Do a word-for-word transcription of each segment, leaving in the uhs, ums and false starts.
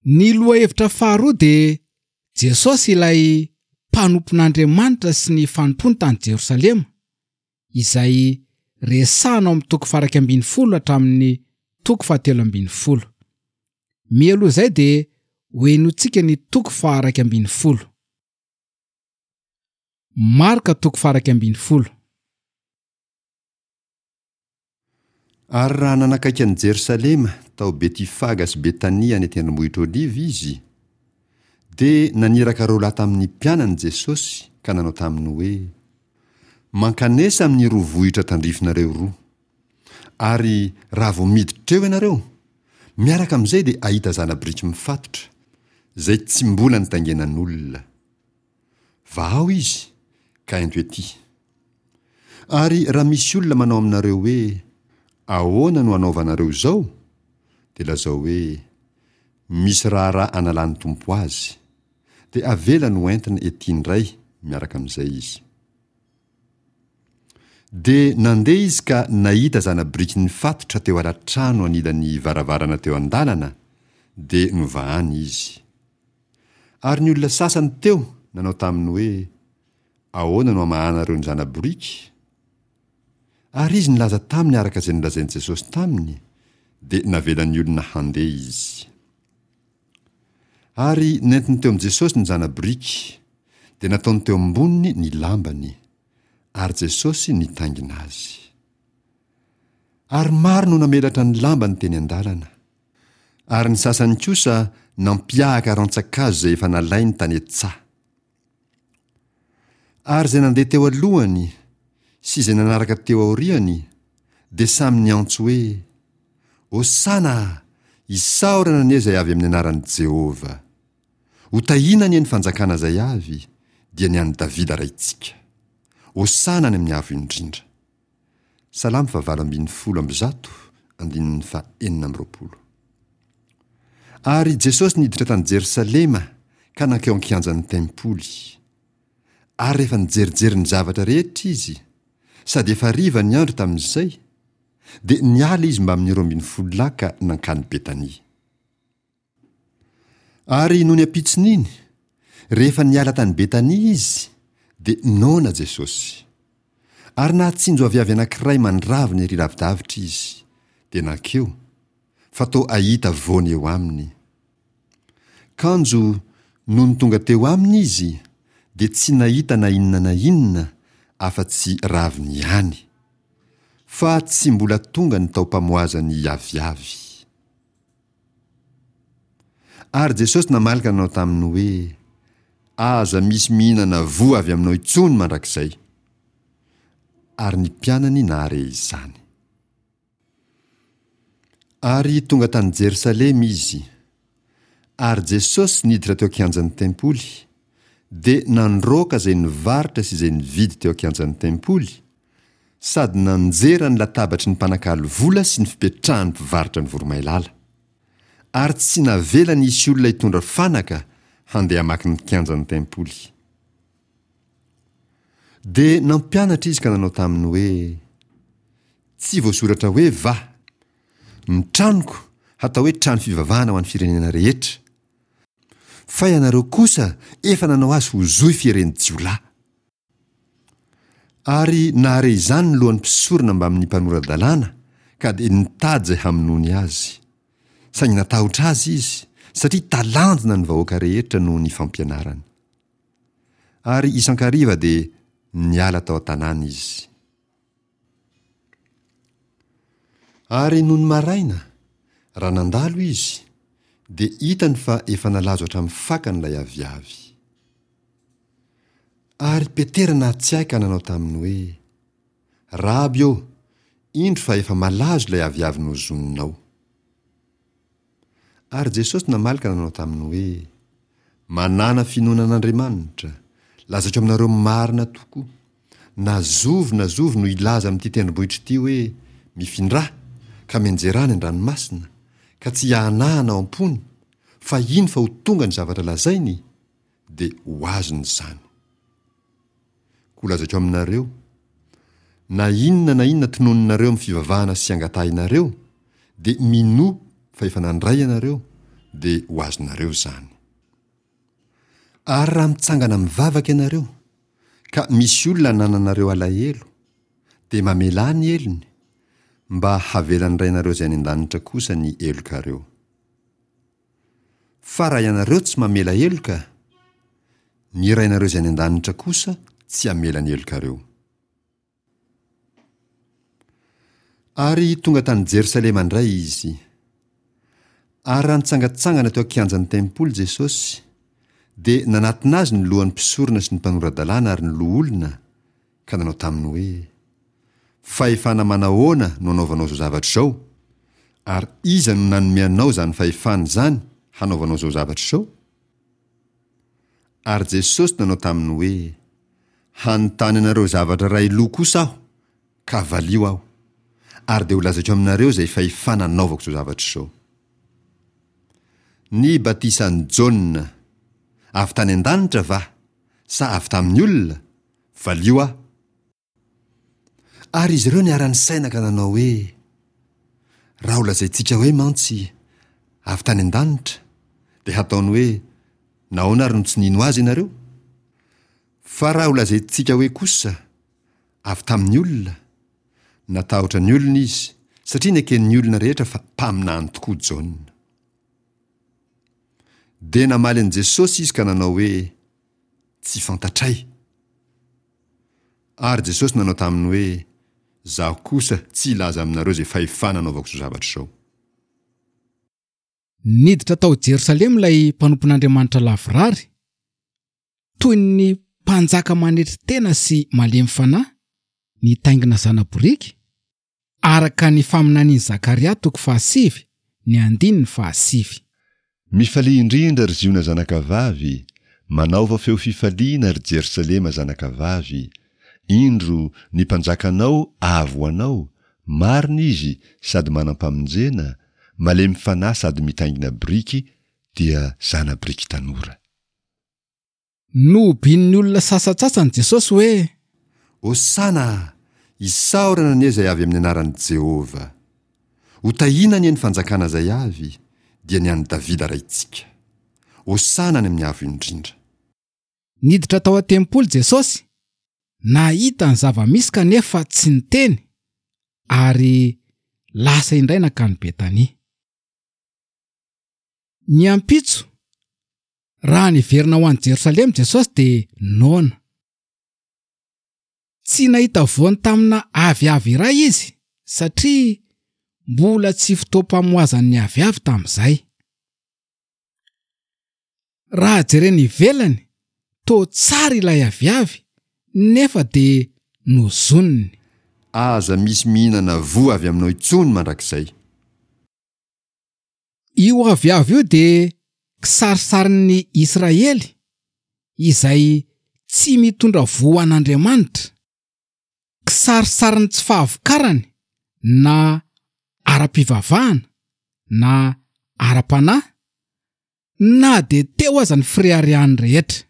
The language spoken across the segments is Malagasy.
Ny lohahevitra faharoa dia Jesosy ilay mpanompon'Andriamanitra sy ny fanompoany tany Jerosalema, izay resahana ao amin'ny toko faha-iraika ambin'ny folo hatramin'ny toko fahatelo ambin'ny folo. Mialoha izay dia hohenointsika ny toko faha-iraika ambin'ny folo. Marka toko faha-iraika ambin'ny folo. Ary raha nanakaiky an'i Jerosalema tao Betifaga sy Betania any an-tendrombohitra Oliva izy, dia naniraka roa lahy tamin'ny mpianany Jesosy ka nanao taminy hoe, Mankanesa amin'ny roa vohitra tandrifinareo roa. Ary raha vao miditra eo ianareo, miaraka amin'izay dia hahita zana-biriky mifatotra, izay tsy mbola nitaingenan'olona. Vahao izy, ka ento ety. Ary raha misy olona manao aminareo hoe, Ahoana no anaovanareo izao? dia lazao hoe, Misy raharaha analan'ny Tompo azy. Dia avelany ho entina ety indray miaraka amin'izay izy. Dia nandeha izy ka nahita zana-biriky nifatotra teo ala-trano anilan'ny varavarana teo an-dalana, dia novahany izy. Ary ny olona sasany teo nanao taminy hoe, Ahoana no amahanareo ny zana-boriky? Ary izy nilaza taminy araka izay nolazain'i Jesosy taminy, dia navelan'ny olona handeha izy. Ary nentiny teo amin'i Jesosy ny zana-boriky, dia nataony teo amboniny ny lambany, ary Jesosy nitaingina azy. Ary maro no namelatra ny lambany teny an-dalana. Ary ny sasany kosa nampiahaka rantsan-kazo izay efa nalainy tany an-tsaha. Ary izay nandeha teo alohany sy izay nanaraka teo aoriany dia samy niantso hoe, Hosana! Isaorana anie izay avy amin'ny anaran'i Jehovah! Hotahiana anie ny fanjakana izay avy, dia ny an'i Davida raintsika! Hosana any amin'ny Avo Indrindra! Salamo fahavalo ambin'ny folo amby zato, andininy fahenina amby roapolo. Ary Jesosy niditra tany Jerosalema ka nankeo an-kianjan'ny tempoly. Ary rehefa nijerijery ny zavatra rehetra izy, sady efa hariva ny andro tamin'izay, dia niala izy mbamin'ny roa ambin'ny folo lahy ka nankany Betania. Ary nony ampitson'iny, rehefa niala tany Betania izy, dia noana Jesosy. Ary nahatsinjo aviavy anankiray mandravona ery lavidavitra izy, dia nankeo, fa toa hahita voany eo aminy. Kanjo nony tonga teo aminy izy, dia tsy nahita na inona na inona afa-tsy raviny ihany, fa tsy mbola tonga ny taom-pamoazan'ny aviavy. Ary Jesosy namaly ka nanao taminy hoe, Aza misy mihinana voa avy aminao intsony mandrakizay. Ary ny mpianany nahare izany. Ary tonga tany Jerosalema izy. Ary Jesosy niditra teo an-kianjan'ny tempoly, dia nandroaka izay nivarotra sy izay nividy teo an-kianjan'ny tempoly, sady nanjera ny latabatry ny mpanakalo vola sy ny fipetrahan'ny mpivarotra ny voromailala. Ary tsy navelany hisy olona hitondra fanaka handeha hamaky ny kianjan'ny tempoly. Dia nampianatra izy ka nanao taminy hoe, Tsy voasoratra hoe va, Ny tranoko hatao hoe trano fivavahana ho an'ny firenena rehetra, fa ianareo kosa efa nanao azy ho zohy fieren'ny jiolahy. Ary nahare izany ny lohan'ny mpisorona mbamin'ny mpanora-dalàna, ka dia nitady izay hamonoany azy. Saingy natahotra azy izy, satria talanjona ny vahoaka rehetra noho ny fampianarany. Ary isan-kariva dia niala tao an-tanàna izy. Ary nony maraina, raha nandalo izy, dia hitany fa efa nalazo hatramin'ny fakany ilay aviavy. Ary Petera nahatsiahy ka nanao taminy hoe, Raby ô, indro fa efa malazo ilay aviavy nozoninao. Ary Jesosy namaly ka nanao taminy hoe, Manàna finoana an'Andriamanitra, lazaiko aminareo marina tokoa, na zovy na zovy no hilaza amin'ity tendrombohitra ity hoe, Mifindrà, ka mianjerà any an-dranomasina, ka tsy hiahanahana ao am-pony, fa hino fa ho tonga ny zavatra lazainy, dia ho azony izany. Koa lazaiko aminareo, na inona na inona tononinareo amin'ny fivavahana sy angatahinareo, dia minoa fa efa nandray ianareo, dia ho azonareo izany. Ary raha mitsangana mivavaka ianareo, ka misy olona anananareo alahelo, dia mamelà ny helony, mba havelan'ny Rainareo izay any an-danitra kosa ny helokareo. Fa raha ianareo tsy mamela heloka, ny Rainareo izay any an-danitra kosa tsy hamela ny helokareo. Ary tonga tany Jerosalema indray izy. Ary raha nitsangantsangana teo an-kianjan'ny tempoly Jesosy, dia nanatona azy ny lohan'ny mpisorona sy ny mpanora-dalàna ary ny loholona, ka nanao taminy hoe, Fahefana manahoana no anaovanao izao zavatra izao? Ary iza no nanome anao izany fahefana izany hanaovanao izao zavatra izao? Ary Jesosy nanao taminy hoe, Hanontany anareo zavatra iray loha kosa aho, ka valio aho, ary dia holazaiko aminareo izay fahefana anaovako izao zavatra izao. Ny batisan'i Jaona, avy tany an-danitra va, sa avy tamin'ny olona? Valio aho. Ary izy ireo niara-nisaina ka nanao hoe, Raha holazaintsika hoe mantsy, avy tany an-danitra, dia hataony hoe, Nahoana ary no tsy nino azy ianareo? Fa raha holazaintsika hoe kosa, avy tamin'ny olona, natahotra ny olona izy, satria neken'ny olona rehetra fa mpaminany tokoa Jaona. Dia namaly an'i Jesosy izy ka nanao hoe, Tsy fantatray. Ary Jesosy nanao taminy hoe, Izaho kosa tsy hilaza aminareo izay fahefana anaovako izao zavatra izao. Niditra tao Jerosalema ilay mpanompon'Andriamanitra lavorary, toy ny mpanjaka manetry tena sy malemy fanahy, nitaingina zana-boriky, araka ny faminanian'i Zakaria toko fahasivy, ny andininy fahasivy. Mifalia indrindra, ry Ziona zanakavavy, manaova feo fifaliana, ry Jerosalema zanakavavy, indro, ny Mpanjakanao avy ho anao, marina Izy sady manam-pamonjena, malemy fanahy sady mitaingina biriky, dia zana-biriky tanora. Nohobian'ny olona sasantsasany Jesosy hoe. Hosana! Isaorana anie izay avy amin'ny anaran'i Jehovah! Hotahiana anie ny fanjakana izay avy, dia ny an'i Davida raintsika! Hosana any amin'ny avo indrindra! Niditra tao an-tempoly Jesosy, nahita ny zava-misy kanefa tsy niteny, ary lasa indray nankany Betania. Ny ampitso, raha niverina ho any Jerosalema Jesosy dia noana. Tsy nahita voany tamina aviavy iray izy satria mbola tsy fotoam-pamoazan'ny aviavy tamin'izay. Raha jerena ivelany, toa tsara ilay aviavy nefa dia nozoniny. Aza misy mihinana voa avy aminao intsony mandrakizay. Io aviavy io dia kisarisarin'ny Israely izay tsy mitondra voa ho an'Andriamanitra, kisarisarin'ny tsy fahavokarany na ara-pivavahana na ara-panahy, na dia teo aza ny fireharehany rehetra.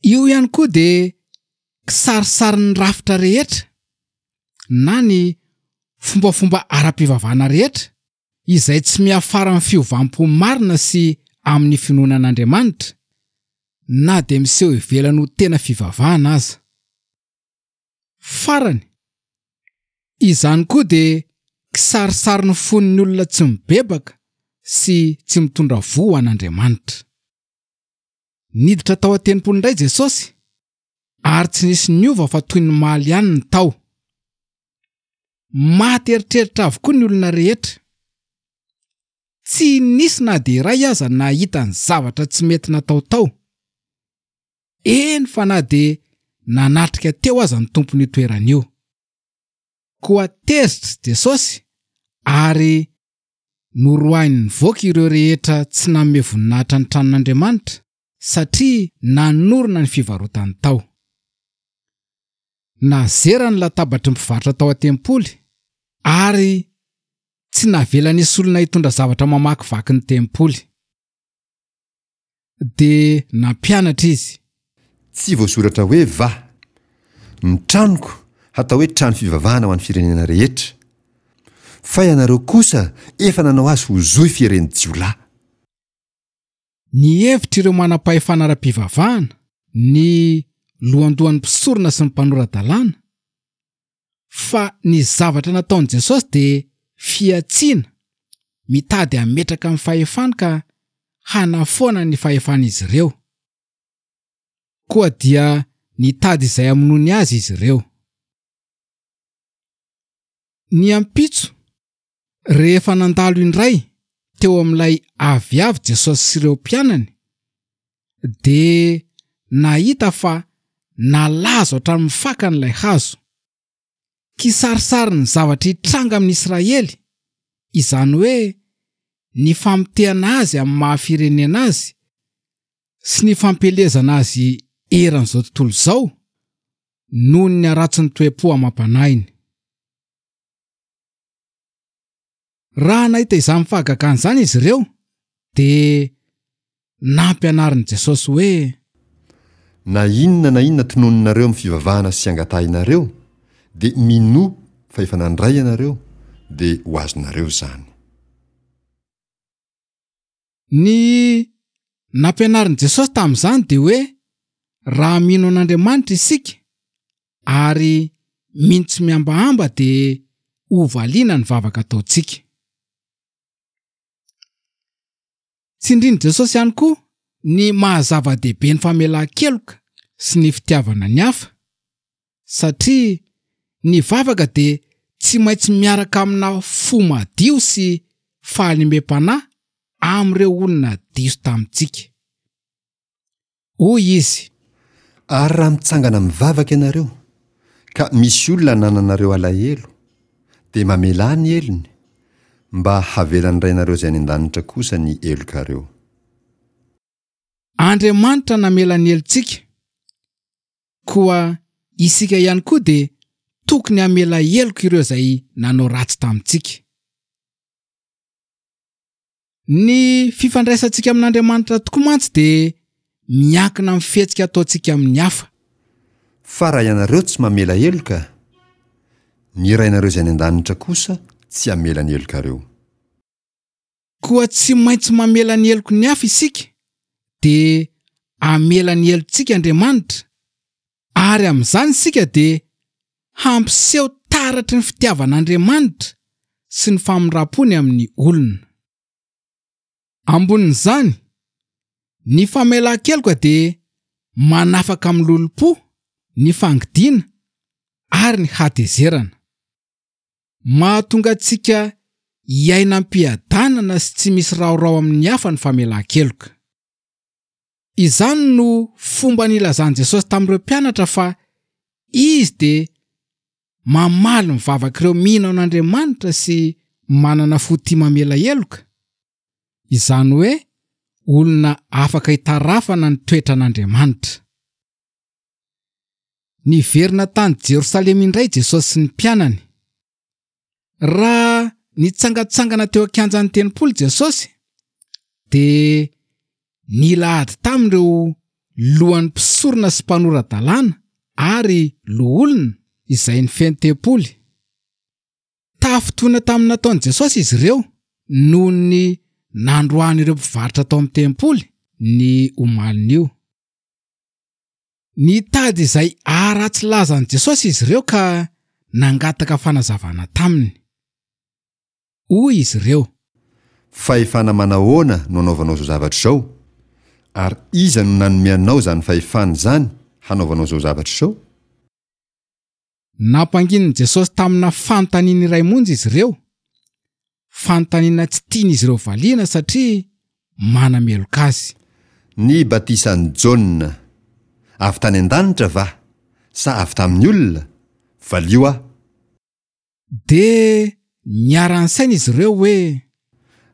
Io ihany koa dia kisarisarin'ny rafitra rehetra na ny fombafomba ara-pivavahana rehetra izay tsy miafara amin'ny fiovam-po marina sy amin'ny finoana an'Andriamanitra, na dia miseho ivelany ho tena fivavahana aza. Farany, izany koa dia kisarisarin'ny fon'ny olona tsy mibebaka sy tsy mitondra voa ho an'Andriamanitra. Niditra tao an-tempoly indray Jesosy, ary tsy nisy niova fa toy ny maly ihany ny tao. Maty eritreritra avokoa ny olona rehetra. Tsy nisy na dia iray aza nahita ny zavatra tsy mety natao tao. Eny fa na dia nanatrika teo aza ny tompon'io toerana io. Koa tezitra Jesosy ary Noroahiny nivoaka ireo rehetra tsy nanome voninahitra ny tranon'Andriamanitra, satria nanorina ny fivarotany tao. Nazera ny latabatry ny mpivarotra tao an-tempoly, ary tsy navela nisy olona hitondra zavatra mamakivaky ny tempoly. Dia nampianatra izy. Tsy voasoratra hoe va, Ny tranoko hatao hoe trano fivavahana ho an'ny firenena rehetra? Fa ianareo kosa efa nanao azy ho zohy fieren'ny jiolahy. Nihevitra ireo manam-pahefana ara-pivavahana, ny lohandohan'ny mpisorona sy ny mpanora-dalàna, fa ny zavatra nataon'i Jesosy dia fihantsiana mitady hametraka ny fahefany ka hanafoana ny fahefan'izy ireo. Koa dia nitady izay hamonoany azy izy ireo. Ny ampitso, rehefa nandalo indray teo amin'ilay aviavy Jesosy sy ireo mpianany, dia nahita fa nalazo hatramin'ny fakany ilay hazo. Kisarisarin'ny zavatra hitranga amin'ny Israely, izany hoe ny famotehana azy amin'ny maha firenena azy sy ny fampielezana azy eran'izao tontolo izao noho ny haratsin'ny toe-po amam-panahiny. Raha nahita izany fahagagana izany izy ireo, dia nampianarin'i Jesosy hoe: Na inona na inona tononinareo amin'ny fivavahana sy angatahinareo, dia minoa fa efa nandray ianareo, dia ho azonareo izany. Ny nampianarin'i Jesosy tamin'izany dia hoe raha mino an'Andriamanitra isika ary mino tsy mihambahamba dia hovaliana ny vavaka ataontsika. Tsindrin'i Jesosy ihany koa ny maha zava-dehibe ny famelan-keloka sy ny fitiavana ny hafa, satria ny vavaka dia tsy maintsy miaraka amina fo madio sy fahalemem-panahy amin'ireo olona diso tamintsika. Hoy izy: Ary raha mitsangana mivavaka ianareo, ka misy olona anananareo alahelo, dia mamelà ny helony, mba havelan'ny Rainareo izay any an-danitra kosa ny helokareo. Andriamanitra namela ny helotsika, koa isika ihany koa dia tokony hamela heloka ireo izay nanao ratsy tamintsika. Ny fifandraisantsika amin'Andriamanitra tokoa mantsy dia miankina amin'ny fihetsika ataontsika amin'ny hafa. Fa raha ianareo tsy mamela heloka, ny Rainareo izay any an-danitra kosa tsy hamela ny helokareo. Koa tsy maintsy mamela ny heloky ny hafa isika, dia hamela ny helotsika Andriamanitra, ary amin'izany isika dia hampiseho taratry ny fitiavan'Andriamanitra sy ny famindram-pony amin'ny olona. Ambonin'izany, ny famelan-keloka dia manafaka amin'ny lolompo, ny fangidiana ary ny hatezerana. Mahatonga antsika hiaina am-piadanana sy tsy misy raorao amin'ny hafa ny famelan-keloka. Izany no fomba nilazan'i Jesosy tamin'ireo mpianatra fa izy dia mamaly ny vavak'ireo mino an'Andriamanitra sy manana fo tia mamela heloka. Izany hoe olona afaka hitarafana ny toetran'Andriamanitra. Niverina tany Jerosalema indray Jesosy sy ny mpianany. Raha nitsangatsangana teo an-kianjan'ny tempoly Jesosy, dia nila ady tamin'ireo lohan'ny mpisorona sy mpanora-dalàna ary loholona izay nifehy tempoly. Tafintohina tamin'ny nataon'i Jesosy izy ireo noho ny nandroahan'ireo mpivarotra tao amin'ny tempoly ny omalin'io. Nitady izay haharatsy laza an'i Jesosy izy ireo ka nangataka fanazavana taminy. Hoy izy ireo: Fahefana manahoana no anaovanao izao zavatra izao? Ary iza no nanome anao izany fahefana izany hanaovanao izao zavatra izao? Nampanginin'i Jesosy tamina fanontaniana iray monja izy ireo, fanontaniana tsy tian'izy ireo valiana satria manameloka azy. Ny batisan'i Jaona, avy tany an-danitra va, sa avy tamin'ny olona? Valio aho. Dia niara-nisaina izy ireo hoe: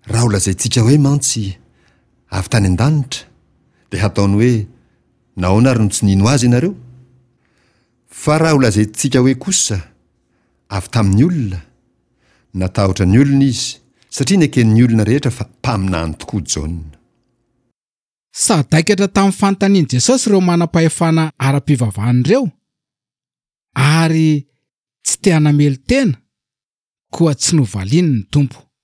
Raha holazaintsika hoe mantsy, avy tany an-danitra, dia hataony hoe, nahoana ary no tsy nino azy ianareo? Fa raha holazaintsika hoe kosa, avy tamin'ny olona, natahotra ny olona izy, satria neken'ny olona rehetra fa mpaminany tokoa Jaona. Sadaikatra tamin'ny fanontanian'i Jesosy ireo manam-pahefana ara-pivavahana ireo, ary tsy te hanamelo-tena, Koa tsy novaliany ny Tompo.